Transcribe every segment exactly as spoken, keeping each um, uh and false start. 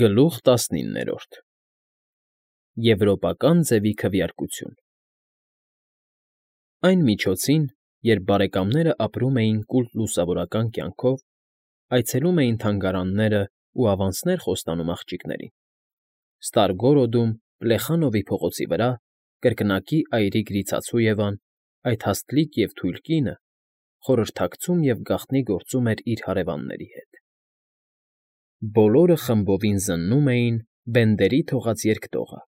Գլուխ տասնիններորդ Եվրոպական ձևի քվեարկություն Այն միջոցին, երբ բարեկամներն ապրում էին կուլտ լուսավորական կյանքով, այցելում էին թանգարաններն ու ավանցներ խոստանում աղջիկներին, Ստարգորոդում, Պլեխանովի փողոցի վրա, կրկնակի այրի գրիցածու այդ հաստլիկ և թույլ կինը խորհրդակցում և գաղտնի գործում էր իր հարևանների հետ. Բոլորը խմբովին զննում էին Բենդերի թողած երկտողը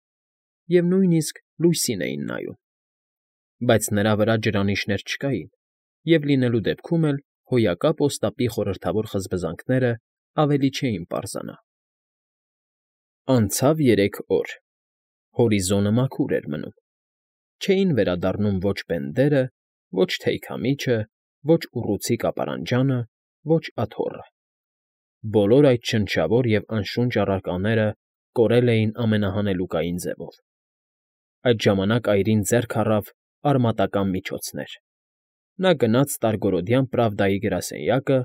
և նույնիսկ լույսին էին նայում, բայց նրա վրա ջրանիշներ չկային և լինելու դեպքում էլ հոյակապ Օստապի խորհրդավոր խզբզանքներն ավելի չէին պարզանա։ Անցավ երեք օր, հորիզոնը մաքուր էր մնում, չէին վերադառնում ոչ Բենդերը, ոչ թեյքամիջը, ոչ ուռուցիկ ապարանջանը, ոչ աթոռը. բոլոր այդ շնչավոր և անշունչ առարկաները կորել էին ամենահանելուկային ձևով։ Այդ ժամանակ այրին ձեռք առավ արմատական միջոցներ. նա գնաց Ստարգորոդյան Պրավդայի գրասենյակը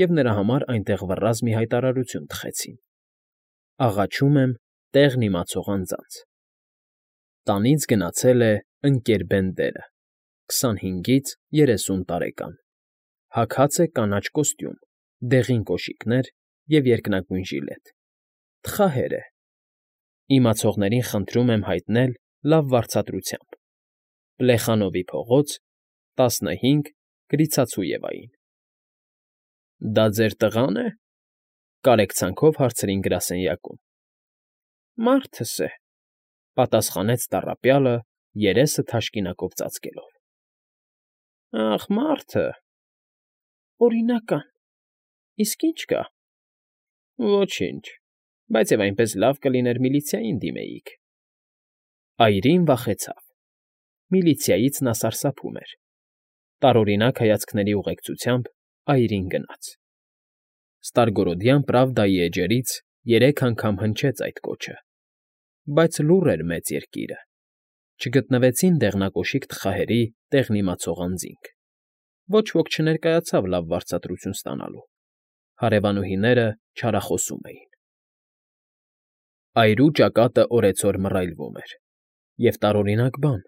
և նրա համար այնտեղ վռռազ մի հայտարարություն տխեցին. «Աղաչում եմ տեղն իմացող անձանց։ Տանից գնացել է Ընկ. Բենդերը, քսանհինգից երեսուն տարեկան, հագած է կանաչ կոստյում, դեղին կոշիկներ և երկնագույն ժիլետ, թխահեր է։ Իմացողներին խնդրում եմ հայտնել լավ վարձատրությամբ. Պլեխանովի փողոց, տասնհինգ Գրիցածույևային»։ ֊ Դա ձեր տղա՞ն է,֊ կարեկցանքով հարցրին գրասենյակում։ ֊ Մարդս է,֊ պատասխանեց տառապյալը, երեսը թաշկինակով ծածկելով։ ֊ Ախ, մարդը… օրինական… Իսկ ի՞նչ կա։ ֊ Ոչինչ, բայց և այնպես լավ կլիներ միլիցիային դիմեիք։ Այրին վախեցավ. միլիցիայից նա սարսափում էր։ Տարօրինակ հայացքների ուղեկցությամբ այրին գնաց։ Ստարգորոդյան Պրավդայի էջերից երեք անգամ հնչեց այդ կոչը, բայց լուռ էր մեծ երկիրը, չգտնվեցին դեղնակոշիկ թխահերի տեղն իմացող անձինք, ոչ ոք չներկայացավ լավ վարձատրություն ստանալու, հարևանուհիները չարախոսում էին։ Այրու ճակատը օրեցօր մռայլվում էր, և տարօրինակ բան.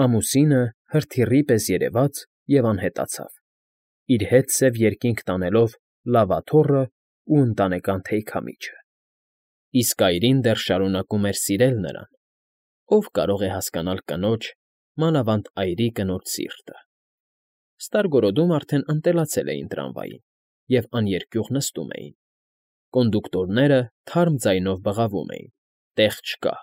ամուսինը հրթիռի պես երևաց և անհետացավ, իր հետ սև երկինք տանելով լավ աթոռն ու ընտանեկան թեյքամիջը։ Իսկ այրին դեռ շարունակում էր սիրել նրան, ով կարող է հասկանալ կնոջ, մանավանդ այրի կնոջ սիրտը։ Ստարգորոդում արդեն ընտելացել էին տրամվային և աներկյուղ նստում էին։ Կոնդուկտորները թարմ ձայնով բղավում էին. տեղ չկա,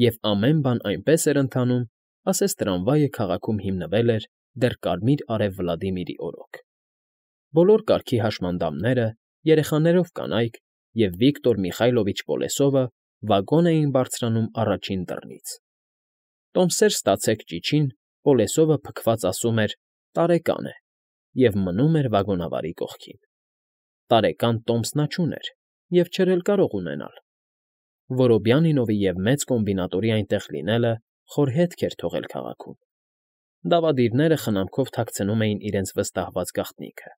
և ամեն բան այնպես էր ընթանում, ասես տրամվայը քաղաքում հիմնվել էր դեռ Կարմիր Արև Վլադիմիրի օրոք։ Բոլոր կարգի հաշմանդամները, երեխաներով կանայք և Վիկտոր Միխայլովիչ Պոլեսովը վագոն էին բարձրանում առաջին դռնից։ «Տոմսեր ստացեք» ճիչին Պոլեսովը փքված ասում էր. «Տարեկան է» և մնում էր վագոնավարի կողքին։ Տարեկան տոմս նա չուներ և չէր էլ կարող ունենալ։ Որոբյանինովի և մեծ կոմբինատորի այնտեղ լինելը խոր հետք էր թողել քաղաքում։ Դավադիրները խնամքով թաքցնում էին իրենց վստահված գաղտնիքը։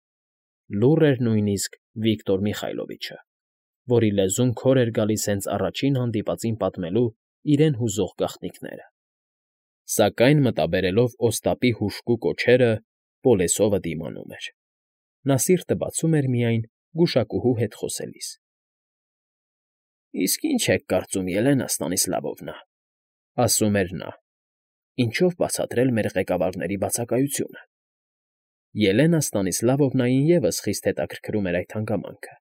Լուռ էր նույնիսկ Վիկտոր Միխայլովիչը, որի լեզուն քոր էր գալիս հենց առաջին հանդիպածին պատմելու իրեն հուզող գաղտնիքները։ Սակայն մտաբերելով Օստապի հուժկու կոչերը, Պոլեսովը դիմանում էր։ Նա սիրտը բացում էր միայն գուշակուհու հետ խոսելիս։ ֊ Իսկ ի՞նչ եք կարծում, Ելենա Ստանիսլավովնա,֊ ասում էր նա,֊ ինչով բացատրել մեր ղեկավարների բացակայությունը։ Ելենա Ստանիսլավովնային ևս խիստ հետաքրքրում էր այդ հանգամանքը,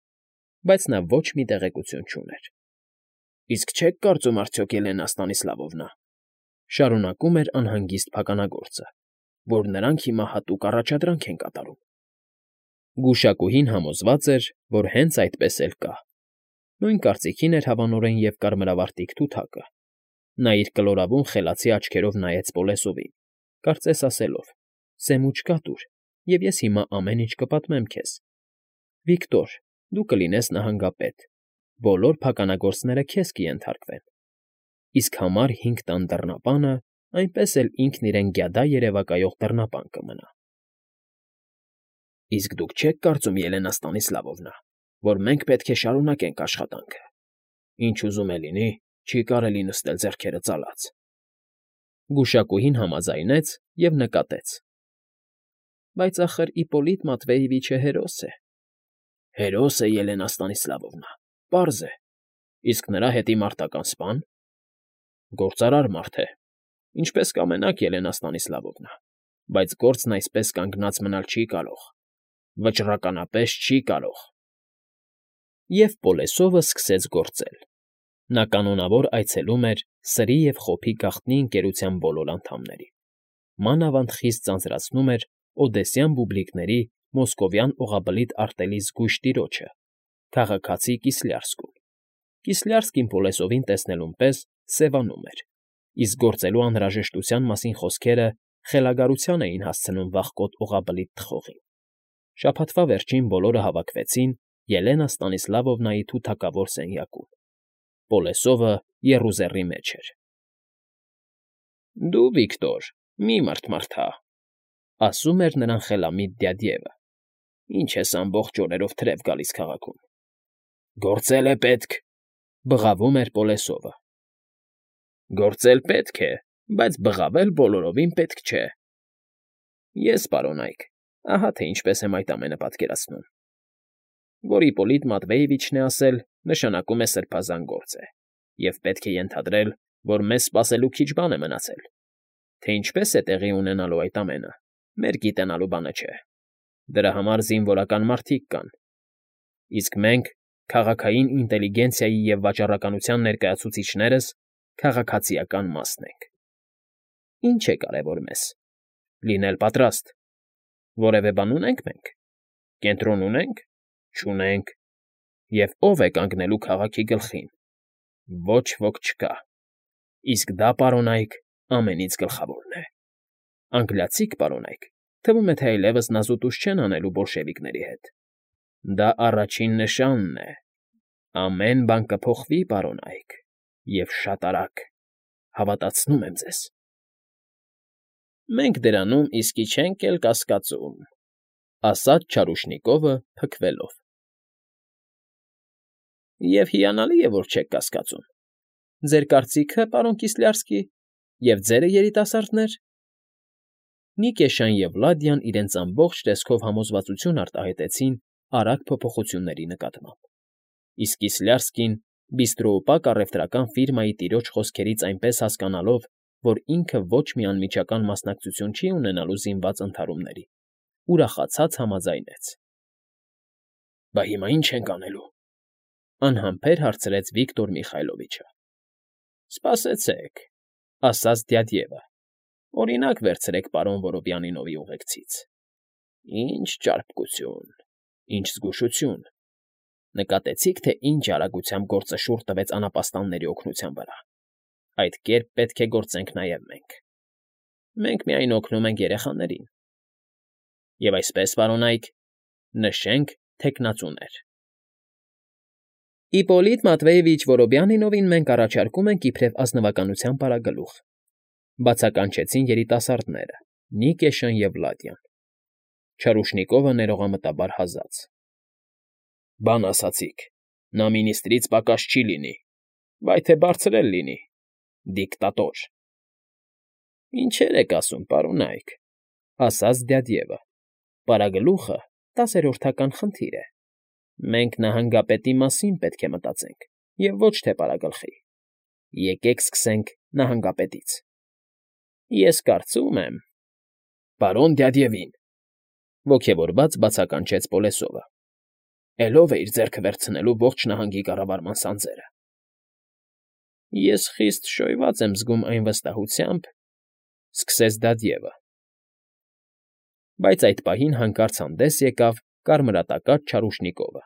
բայց նա ոչ մի տեղեկություն չուներ։ ֊ Իսկ չե՞ք կարծում արդյոք, Ելենա Ստանիսլավովնա,֊ շարունակում էր անհանգիստ փականագործը,֊ որ նրանք հիմա հատուկ առաջադրանք են կատարում։ Գուշակուհին համոզված էր, որ հենց այդպես էլ կա։ Նույն կարծիքին էր հավանորեն և կարմրավարտիք Թութակը։ Նա իր կլորավուն խելացի աչքերով նայեց Պոլեսովին, կարծես ասելով. «Սեմ ու չկատուր, և ես հիմա ամեն ինչ կպատմեմ քեզ։ Վիկտոր, դու կլինես նահանգապետ, բոլոր փականագործները քեզ կենթարկվեն, իսկ համար հինգ տան դռնապանը այնպես էլ ինքն իրեն գյադա երևակայող դռնապան կմնա»։ ֊ Իսկ դուք չե՞ք կարծում, Ելենա Ստանիսլավովնա, որ մենք պետք է շարունակենք աշխատանքը, Ինչ ուզում է լինի, չի կարելի նստել ձեռքերը ծալած։ Գուշակուհին համաձայնեց և նկատեց. Բայց ախր Իպպոլիտ Մատվեևիչը հերոս է։ Հերոս է, Ելենա Ստանիսլավովնա, պարզ է, իսկ նրա հետի մարտական սպա՞ն։ Գործարար մարդ է, ինչպես կամենաք, Ելենա Ստանիսլավովնա, բայց գործն այսպես կանգնած մնալ չի կարող, վճռականապես չի կարող։ Եվ Պոլեսովը սկսեց գործել։ Նա կանոնավոր այցելում էր սրի և խոփի գաղտնի ընկերության բոլոր անդամներին, մանավանդ խիստ ձանձրացնում էր օդեսյան բուբլիկների մոսկովյան օղաբլիթ արտելի զգույշ տիրոջը, քաղաքացի Կիսլյարսկուն։ Կիսլյարսկին Պոլեսովին տեսնելուն պես սևանում էր, իսկ գործելու անհրաժեշտության մասին խոսքերը խելագարության էին հասցնում վախկոտ օղաբլիթ թխողին։ Շաբաթվա վերջին բոլորը հավաքվեցին Ելենա Ստանիսլավովնայի թութակավոր սենյակում։ Պոլեսովը եռուզեռի մեջ էր։ Դու, Վիկտոր, մի մռթմռթա, ասում էր նրան խելամիտ դյադյևը։ Ինչ ես ամբողջ օրերով թրև գալիս քաղաքում։ Գործել է պետք, բղավում էր Պոլեսովը։ Գործել պետք է, բայց բղավել բոլորովին պետք չէ։ Ես, պարոնայք, ահա թե ինչպես եմ այդ ամենը պատկերացնում։ Որ Իպպոլիտ Մատվեևիչն է ասել, նշանակում է սրբազան գործ է, և պետք է ենթադրել, որ մեզ սպասելու քիչ բան է մնացել։ Թե ինչպես է տեղի ունենալու այդ ամենը, մեր գիտենալու բանը չէ։ Դրա համար զինվորական մարդիկ կան։ Իսկ մենք, քաղաքային ինտելիգենցիայի և վաճառականության ներկայացուցիչներս, քաղաքացիական մասն ենք։ Ինչ է կարևոր մեզ։ Լինել պատրաստ։ Որևէ բան ունե՞նք մենք։ Կենտրոն ունե՞նք։ Չունենք։ Եվ ո՞վ է կանգնելու քաղաքի գլխին։ Ոչ ոք չկա։ Իսկ դա, պարոնայք, ամենից գլխավորն է։ Անգլիացիք, պարոնայք, թվում է, թե այլևս նազուտուշ չեն անելու բոլշևիկների հետ։ Դա առաջին նշանն է։ Ամեն բան կփոխվի, պարոնայք, և շատ արագ, հավատացնում եմ ձեզ։ Մենք դրանում իսկի չենք էլ կասկածում, ասաց Չարուշնիկովը փքվելով։ Եվ հիանալի է, որ չեք կասկածում։ Ձեր կարծիքը, պարոն Կիսլյարսկի, և ձերը, երիտասարդներ։ Նիկեշան և Վլադյան իրենց ամբողջ տեսքով համոզվածություն արտահայտեցին արագ փոփոխությունների նկատմամբ, իսկ Կիսլյարսկին, բիստրոուպակ առևտրական ֆիրմայի տիրոջ խոսքերից այնպես հասկանալով, որ ինքը ոչ մի անմիջական մասնակցություն չի ունենալու զինված ընդհարումների, ուրախացած համաձայնեց։ Բա հիմա ի՞նչ ենք անելու,֊ անհամբեր հարցրեց Վիկտոր Միխայլովիչը։ Սպասեցեք,֊ ասաց դյադյևը,֊ օրինակ վերցրեք պարոն Որոբյանինովի ուղեկցից։ Ինչ ճարպկություն, ինչ զգուշություն… Նկատեցի՞ք, թե ինչ արագությամբ գործը շուռ տվեց անապաստանների օգնության վրա։ Այդ կերպ պետք է գործենք նաև մենք։ Մենք միայն օգնում ենք երեխաներին։ Եվ այսպես, պարոնայք, նշենք թեկնածուներ։ Իպպոլիտ Մատվեևիչ Որոբյանինովին մենք առաջարկում ենք իբրև ազնվականության պարագլուխ,֊ բացականչեցին երիտասարդները՝ Նիկեշան և Վլադյան։ Չարուշնիկովը ներողամտաբար հազաց. Բան ասացիք, նա մինիստրից պակաս չի լինի, վայ թե բարձր էլ լինի, դիկտատոր։ Ինչեր եք ասում, պարոնայք,֊ ասաց դյադյևը,֊ պարագլուխը տասերորդական խնդիր է։ Մենք նահանգապետի մասին պետք է մտածենք և ոչ թե պարագլխի։ Եկեք սկսենք նահանգապետից։ Ես կարծում եմ… Պարոն Դյադյևին,֊ ոգևորված բացականչեց Պոլեսովը,֊ էլով է իր ձեռքը վերցնելու ողջ նահանգի կառավարման սանձերը։ Ես խիստ շոյված եմ զգում այն վստահությամբ,֊ սկսեց դադյևը։ Բայց այդ պահին հանկարծ հանդես եկավ կարմրատակած Չարուշնիկովը։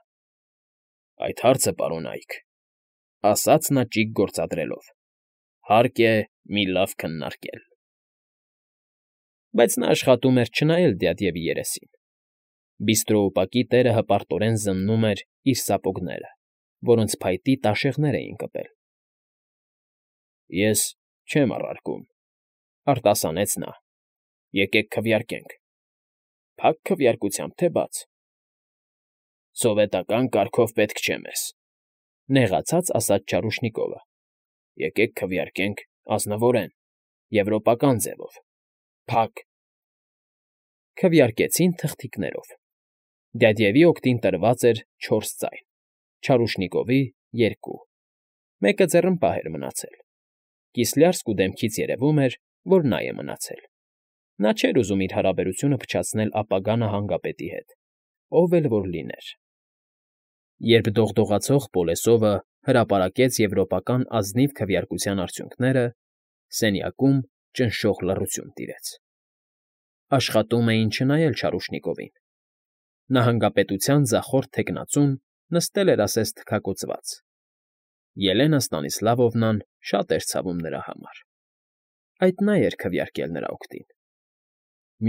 Այդ հարցը, պարոնայք,֊ ասաց նա ճիգ գործադրելով,֊ հարկ է մի լավ քննարկել։ Բայց նա աշխատում էր չնայել դյադյևի երեսին։ Բիստրոուպակի տերը հպարտորեն զննում էր իր սապոգները, որոնց փայտի տաշեղներ էին կպել։ Ես չեմ առարկում,֊ արտասանեց նա,֊ եկեք քվեարկենք։ Փակ քվեարկությամբ, թե բաց։ Սովետական կարգով պետք չէ մեզ։ Նեղացած ասաց Չարուշնիկովը։ Եկեք քվեարկենք ազնվորեն, եվրոպական ձևով, փակ։ Քվեարկեցին թղթիկներով։ Դյադյևի օգտին տրված էր չորս ձայն, Չարուշնիկովի՝ երկու, մեկը ձեռնպահ էր մնացել։ Կիսլյարսկու դեմքից երևում էր, որ նա է մնացել։ Նա չէր ուզում իր հարաբերությունը փչացնել ապագա նահանգապետի հետ, ով էլ որ լիներ։ Երբ դողդողացող Պոլեսովը հրապարակեց եվրոպական ազնիվ քվեարկության արդյունքները, սենյակում ճնշող լռություն տիրեց։ Աշխատում էին չնայել Չարուշնիկովին։ Նահանգապետության ձախորդ թեկնածուն նստել էր ասես թքակոծված։ Ելենա Ստանիսլավովնան շատ էր ցավում նրա համար։ Այդ նա էր քվեարկել նրա օգտին։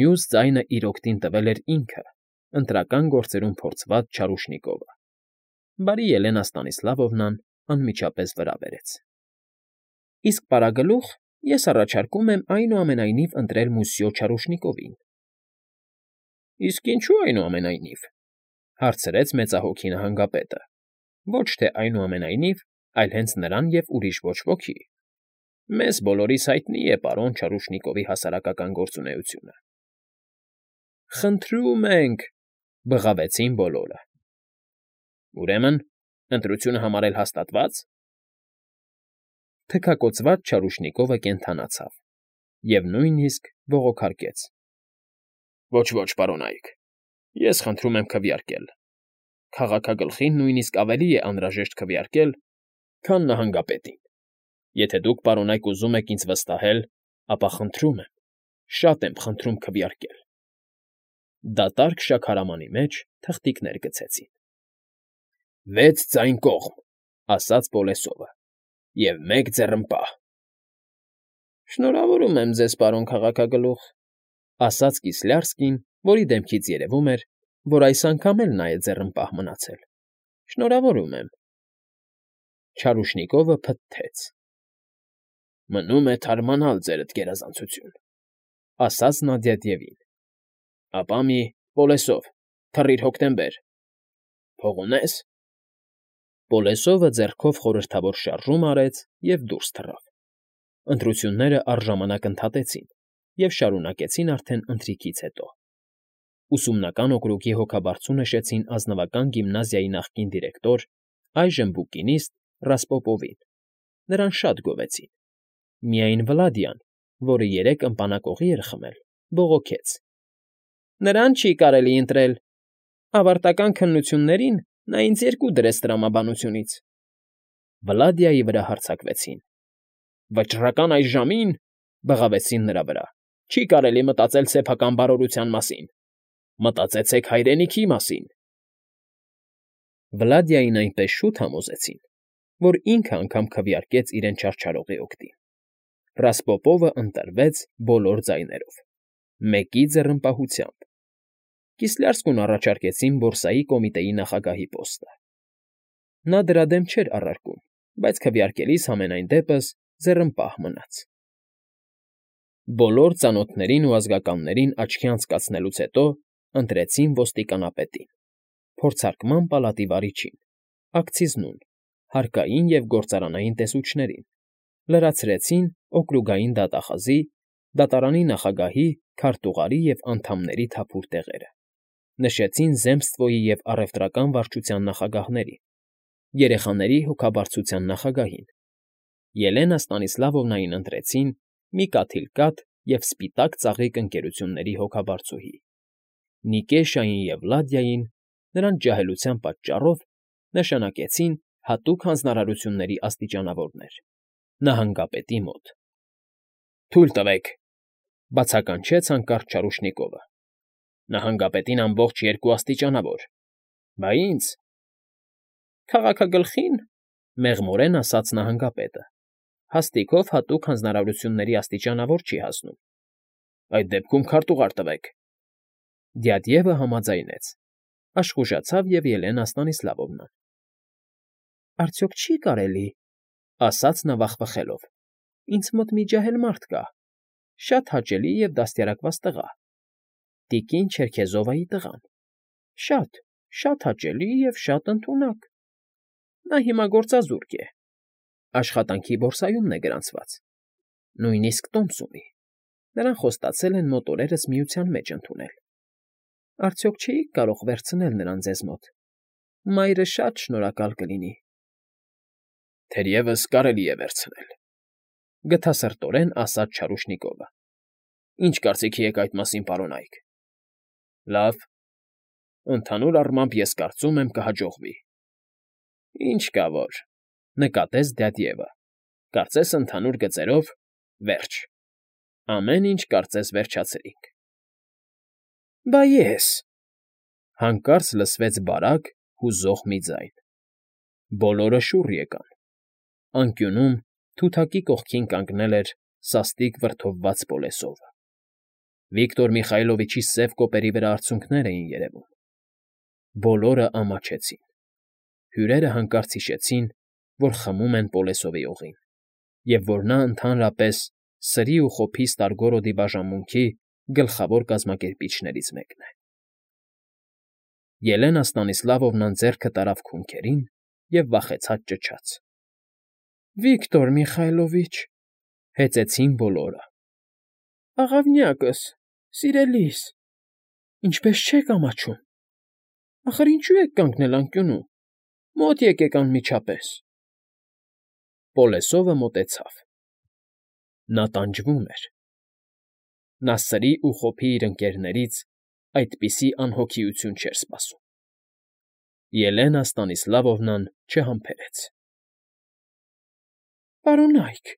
Մյուս ձայնը իր օգտին տվել էր ինքը, ընտրական գործերում փորձված Չարուշնիկովը։ Բարի Ելենա Ստանիսլավովնան անմիջապես վրա բերեց։ Իսկ պարագլուխ ես առաջարկում եմ այնուամենայնիվ ընտրել մուսյո Չարուշնիկովին։ Իսկ ինչու այնուամենայնիվ, հարցրեց մեծահոգի նահանգապետը, ոչ թե այնուամենայնիվ, այլ հենց նրան և ուրիշ ոչ ոքի։ Մեզ բոլորիս հայտնի է պարոն Չարուշնիկովի հասարակական գործունեությունը։ Խնդրում ենք, բղավեցին բոլորը։ Ուրեմն, ընտրությունը համարել հաստատվա՞ծ։ Թքակոծված Չարուշնիկովը կենդանացավ և նույնիսկ բողոքարկեց. Ոչ, ոչ, պարոնայք, ես խնդրում եմ քվեարկել։ Քաղաքագլխին նույնիսկ ավելի է անհրաժեշտ քվեարկել, քան նահանգապետին։ Եթե դուք, պարոնայք, ուզում եք ինձ վստահել, ապա խնդրում եմ, շատ եմ խնդրում քվեարկել։ Դատարկ շաքարամանի մեջ թղթիկներ գցեցին։ Վեց ձայն կողմ, ասաց Պոլեսովը, և մեկ ձեռնպահ։ Շնորհավորում եմ ձեզ, պարոն քաղաքագլուխ, ասաց Կիսլյարսկին, որի դեմքից երևում էր, որ այս անգամ էլ նա է ձեռնպահ մնացել։ Շնորհավորում եմ։ Չարուշնիկովը փթթեց։ Մնում է թարմանալ ձերդ գերազանցություն, ասաց նա Դյադյևին։ Ապա մի Պոլեսով, թռիր հոկտեմբեր։ Փող ունե՞ս։ Պոլեսովը ձեռքով խորհրդավոր շարժում արեց և դուրս թռավ։ Ընտրությունները առժամանակ ընդհատեցին և շարունակեցին արդեն ընթրիքից հետո։ Ուսումնական օկրուգի հոգաբարձու նշեցին ազնվական գիմնազիայի նախկին դիրեկտոր, այժմ բուկինիստ Ռասպոպովին։ Նրան շատ գովեցին։ Միայն Վլադյան, որը երեկ ըմպանակողի էր խմել, բողոքեց. Նրան չի կարելի ընտրել։ Ավարտական քննություններին նա ինձ երկու դրեց տրամաբանությունից։ Վլադիայի վրա հարձակվեցին։ Վճռական այս ժամին, բղավեցին նրա վրա, չի կարելի մտածել սեփական բարօրության մասին։ Մտածեցեք հայրենիքի մասին։ Վլադիային այնպես շուտ համոզեցին, որ ինքը անգամ քվեարկեց իրեն չարչարողի օգտին։ Ռասպոպովը ընտրվեց բոլոր ձայներով, մեկի ձեռնպահությամբ։ Կիսլյարսկուն առաջարկեցին բորսայի կոմիտեի նախագահի պոստը։ Նա դրա դեմ չէր առարկում, բայց քվեարկելիս համենայն դեպս ձեռնպահ մնաց։ Բոլոր ծանոթներին ու ազգականներին աչքի անցկացնելուց հետո ընտրեցին ոստիկանապետին, փորձարկման պալատի վարիչին, ակցիզնուն, հարկային և գործարանային տեսուչներին, լրացրեցին օկրուգային դատախազի, դատարանի նախագահի, քարտուղարի և անդամների թափուր տեղերը, նշեցին Զեմստվոյի և առևտրական վարչության նախագահներին, երեխաների հոգաբարձության նախագահին, Ելենա Ստանիսլավովնային ընտրեցին մի կաթիլ կաթ և սպիտակ ծաղիկ ընկերությունների հոգաբարձուհի, Նիկեշային և Վլադիային նրանց ջահելության պատճառով նշանակեցին հատուկ հանձնարարությունների աստիճանավորներ, նահանգապետի մոտ։ Թույլ տվեք, բացականչեց հանկարծ Չարուշնիկովը։ Նահանգապետին ամբողջ երկու աստիճանավոր, բա ինձ… Քաղաքագլխին, մեղմորեն ասաց նահանգապետը, հաստիքով հատուկ հանձնարարությունների աստիճանավոր չի հասնում։ Այդ դեպքում քարտուղար տվեք։ Դյադյևը համաձայնեց, աշխուժացավ և Ելենա Ստանիսլավովնան։ Արդյոք չի՞ կարելի, ասաց նա վախվխելով, ինձ մոտ մի ջահել մարդ կա, շատ հաճելի և դաստիարակված տղա, տիկին Չերքեզովայի տղան, շատ, շատ հաճելի և շատ ընդունակ։ Նա հիմա գործազուրկ է, աշխատանքի բորսայումն է գրանցված, նույնիսկ տոմս ունի, նրան խոստացել են մոտ օրերս Միության մեջ ընդունել, արդյոք չէի՞ք կարող վերցնել նրան ձեզ մոտ, մայրը շատ շնորհակալ կլինի։ ֊ Թերևս կարելի է վերցնել,֊ գթասրտորեն ասաց Չարուշնիկովը։ ֊ Ինչ կարծիքի եք այդ մասին, պարոնայք։ ֊ Լավ, ընդհանուր առմամբ ես կարծում եմ կհաջողվի։ ֊ Ինչ կա որ,֊ նկատեց դյադ Եվը,֊ կարծես ընդհանուր գծերով, վերջ, ամեն ինչ կարծես վերջացրինք։ ֊ Բա ես,֊ հանկարծ լսվեց բարակ, հուզող մի ձայն. բոլորը շուռ եկան. անկյունում թութակի կողքին կանգնել էր սաստիկ վրդովված Պոլեսովը։ Վիկտոր Միխայլովիչի սև կոպերի վրա արցունքներ էին երևում։ Բոլորը ամաչեցին։ Հյուրերը հանկարծ հիշեցին, որ խմում են Պոլեսովի օղին, և որ նա ընդհանրապես սրի ու խոփի Ստարգորոդի բաժանմունքի գլխավոր կազմակերպիչներից մեկն է։ Ելենա Ստանիսլավովնան ձեռքը տարավ քունքերին և վախեցած ճչաց. ֊ Վիկտոր Միխայլովիչ,֊ հեծեցին բոլորը։ ֊ Աղավնյակս, սիրելիս, ինչպե՞ս չեք ամաչում, ախր ինչու եք կանգնել անկյունում, մոտ եկեք անմիջապես։ Պոլեսովը մոտեցավ. նա տանջվում էր։ Նա սրի ու խոփի իր ընկերներից այդպիսի անհոգիություն չէր սպասում։ Ելենա Ստանիսլավովնան չհամբերեց. ֊ Պարոնայք,֊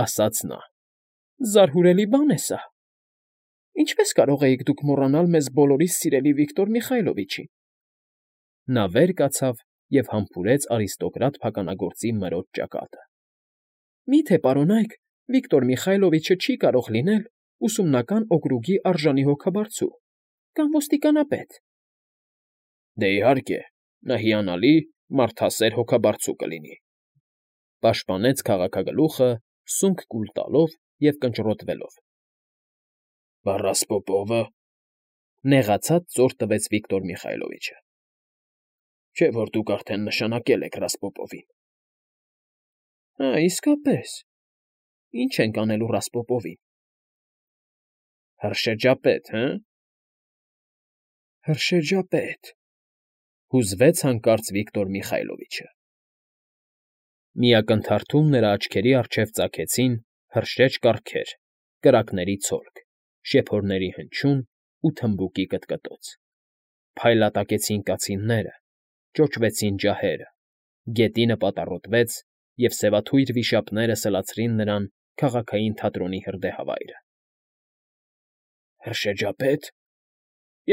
ասաց նա,֊ զարհուրելի բան է սա։ Ինչպե՞ս կարող էիք դուք մոռանալ մեզ բոլորիս սիրելի Վիկտոր Միխայլովիչին։ Նա վեր կացավ և համբուրեց արիստոկրատ փականագործի մրոտ ճակատը։ ֊ Մի՞թե, պարոնայք, Վիկտոր Միխայլովիչը չի կարող լինել ուսումնական օկրուգի արժանի հոգաբարձու կամ ոստիկանապետ։ ֊ Դե, իհարկե, նա հիանալի, մարդասեր հոգաբարձու կլինի,֊ պաշտպանեց քաղաքագլուխը սունկ կուլ տալով և կնճռոտվելով։ ֊ Բա Ռասպոպովը,֊ նեղացած ծոր տվեց Վիկտոր Միխայլովիչը։ ֊ Չէ՞ որ դուք արդեն նշանակել եք Ռասպոպովին։ ֊ Հա, իսկապես, ի՞նչ ենք անելու Ռասպոպովին։ ֊ Հրշեջապետ, հը՞։ ֊ Հրշեջապետ,֊ հուզվեց հանկարծ Վիկտոր Միխայլովիչը։ Մի ակնթարթում նրա աչքերի առջև ծագեցին հրշեջ կառքեր, կրակների ցոլք, շեփորների հնչյուն ու թմբուկի կտկտոց։ Փայլատակեցին կացինները, ճոճվեցին ջահերը, գետինը պատառոտվեց, և սևաթույր վիշապները սլացրին նրան քաղաքային թատրոնի հրդեհավայրը։ ֊ Հրշեջապե՞տ,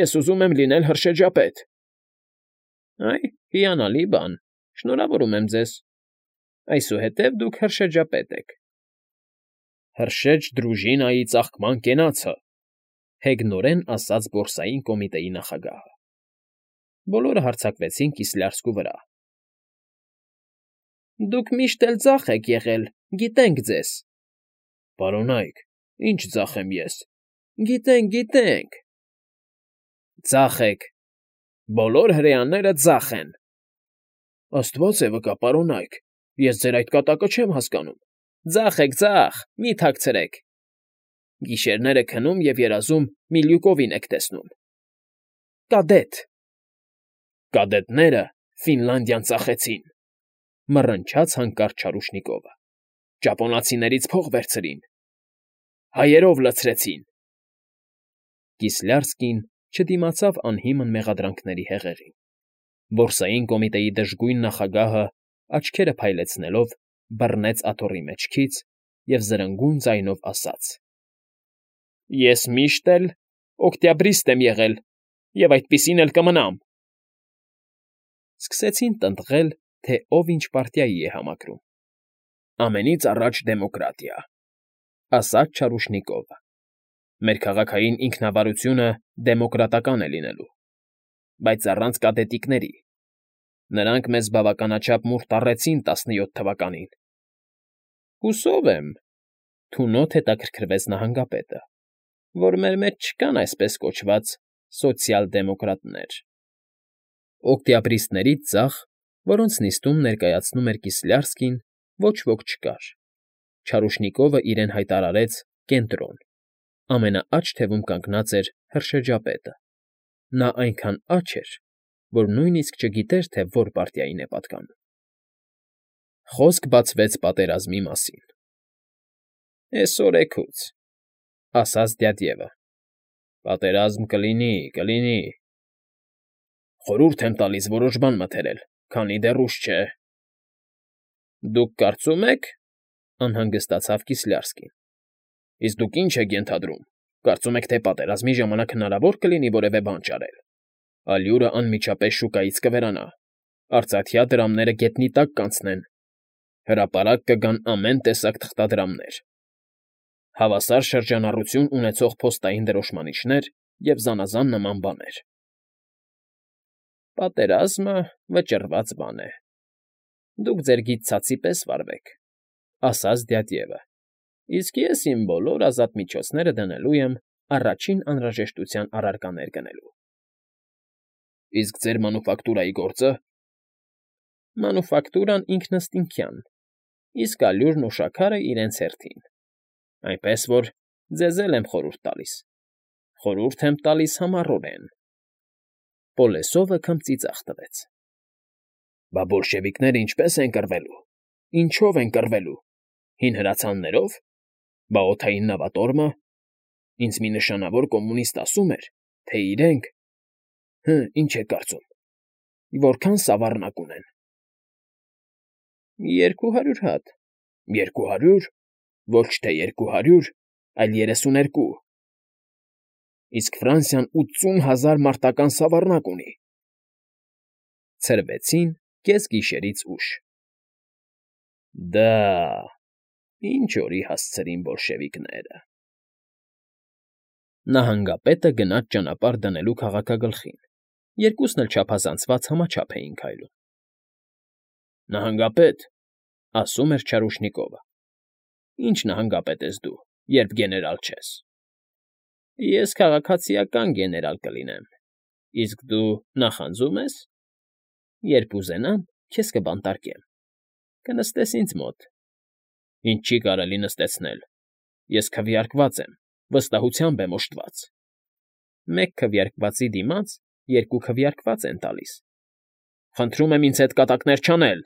ես ուզում եմ լինել հրշեջապետ։ ֊ Այ, հիանալի բան, շնորհավորում եմ ձեզ, այսուհետև դուք հրշեջապետ եք։ ֊ Հրշեջ դրուժինայի ծաղկման կենացը,֊ հեգնորեն ասաց բորսային կոմիտեի նախագահը։ Բոլորը հարձակվեցին Կիսլյարսկու վրա։ ֊ Դուք միշտ էլ ձախ եք եղել, գիտենք ձեզ։ ֊ Պարոնայք, ի՞նչ ձախ եմ ես։ ֊ Գիտենք, գիտենք։ ֊ Ձախ եք, բոլոր հրեաները ձախ են։ ֊ Աստված է վկա, պարոնայք, ես ձեր այդ կատակը չեմ հասկանում։ ֊ Ձախ եք, ձախ, մի՛ թաքցրեք։ Գիշերները քնում և երազում Միլյուկովին եք տեսնում։ ֊ Կադետ։ ֊ Կադետները Ֆինլանդիան ծախեցին,֊ մռնչաց հանկարծ Չարուշնիկովը,֊ ճապոնացիներից փող վերցրին, հայերով լցրեցին։ Կիսլյարսկին չդիմացավ անհիմն մեղադրանքների հեղեղին։ Բորսային կոմիտեի դժգույն նախագահը, աչքերը փայլեցնելով, բռնեց աթոռի մեջքից և զրնգուն ձայնով ասաց. ֊ Ես միշտ էլ օկտյաբրիստ եմ եղել և այդպիսին էլ կմնամ։ Սկսեցին տնտղել, թե ով ինչ պարտիայի է համակրում։ ֊ Ամենից առաջ դեմոկրատիա,֊ ասաց Չարուշնիկովը,֊ մեր քաղաքային ինքնավարությունը դեմոկրատական է լինելու, բայց առանց կադետիկների։ Նրանք մեզ բավականաչափ մուռ տառեցին տասնյոթ թվականին։ ֊ Հուսով եմ,֊ թունոտ հետաքրքրվեց նահանգապետը,֊ որ մեր մեջ չկան այսպես կոչված սոցիալ֊դեմոկրատներ։ Օկտյաբրիստներից ձախ որոնց նիստում ներկայացնում էր Կիսլյարսկին, ոչ ոք չկար. Չարուշնիկովը իրեն հայտարարեց կենտրոն, ամենաաջ թևում կանգնած էր հրշեջապետը. նա այնքան աջ էր, որ նույնիսկ չգիտեր, թե որ պարտիային է պատկանում։ Խոսք բացվեց պատերազմի մասին։ ֊ Էս օրեքուց,֊ ասաց դյադյևը,֊ պատերազմ կլինի, կլինի… Խորհուրդ եմ տալիս որոշ բան մտերել, քանի դեռ ուշ չէ։ ֊ Դուք կարծում եք,֊ անհանգստացավ Կիսլյարսկին,֊ իսկ դուք ի՞նչ եք ենթադրում, կարծում եք, թե պատերազմի ժամանակ հնարավո՞ր կլինի որևէ բան ճարել։ Ալյուրը անմիջապես շուկայից կվերանա, արծաթյա դրամները գետնի տակ կանցնեն, հրապարակ կգան ամեն տեսակ թղթադրամներ, հավասար շրջանառություն ունեցող փոստային դրոշմանիչներ և զանազան նման բաներ։ ֊ Պատերազմը վճռված բան է, դուք ձեր գիծ ցածի պես վարվեք,֊ ասաց դյադյևը,֊ իսկ ես իմ բոլոր ազատ միջոցները դնելու եմ առաջին անհրաժեշտության առարկաներ գնելու։ ֊ Իսկ ձեր մանուֆակտուրայի գործը… ֊ Մանուֆակտուրան ինքնըստինքյան, իսկ ալյուրն ու շաքարը իրենց հերթին, այնպես որ ձեզ էլ եմ խորհուրդ տալիս, խորհուրդ եմ տալիս համառորեն… Պոլեսովը քմծիծաղ տվեց։ ֊ Բա բոլշևիկները ինչպե՞ս են կռվելու, ինչո՞վ են կռվելու, հին հրացաններո՞վ, բա օդային նավատորմը… Ինձ մի նշանավոր կոմունիստ ասում էր, թե իրենք… Հը, ինչ եք կարծում, որքա՞ն սավառնակ ունեն։ ֊ Երկու հարյուր հատ։ ֊ Երկու հարյու՞ր… Ոչ թե երկու հարյուր, այլ երեսուներկու… Իսկ Ֆրանսիան ութսուն հազար մարտական սավառնակ ունի… Ցրվեցին կեսգիշերից ուշ։ ֊ Դա… ինչ օրի հասցրին բոլշևիկները… Նահանգապետը գնաց ճանապարհ դնելու քաղաքագլխին, երկուսն էլ չափազանցված համաչափ էին քայլում։ ֊ Նահանգապետ,֊ ասում էր Չարուշնիկովը,֊ ի՞նչ նահանգապետ ես դու, երբ գեներալ չես։ ֊ Ես քաղաքացիական գեներալ կլինեմ, իսկ դու նախանձո՞ւմ ես։ ֊ Երբ ուզենամ, քեզ կբանտարկեմ, կնստես ինձ մոտ։ ֊ Ինձ չի կարելի նստեցնել, ես քվեարկված եմ, վստահությամբ եմ օժտված։ ֊ Մեկ քվեարկվածի դիմաց երկու քվեարկված են տալիս։ ֊ Խնդրում եմ ինձ հետ կատակներ չանել,֊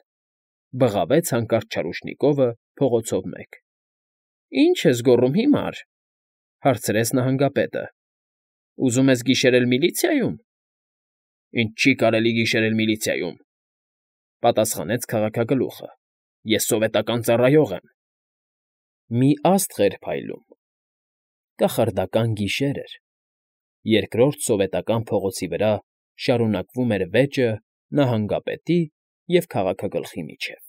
բղավեց հանկարծ Չարուշնիկովը փողոցով մեկ։ ֊ Ի՞նչ ես գոռում հիմար,֊ հարցրեց նահանգապետը,֊ ուզում ես գիշերել միլիցիայում։ ֊ Ինձ չի կարելի գիշերել միլիցիայում,֊ պատասխանեց քաղաքագլուխը,֊ ես սովետական ծառայող եմ։ Մի աստղ էր փայլում… Կախարդական գիշեր էր, երկրորդ սովետական փողոցի վրա շարունակվում էր վեճը նահանգապետի և քաղաքագլխի միջև։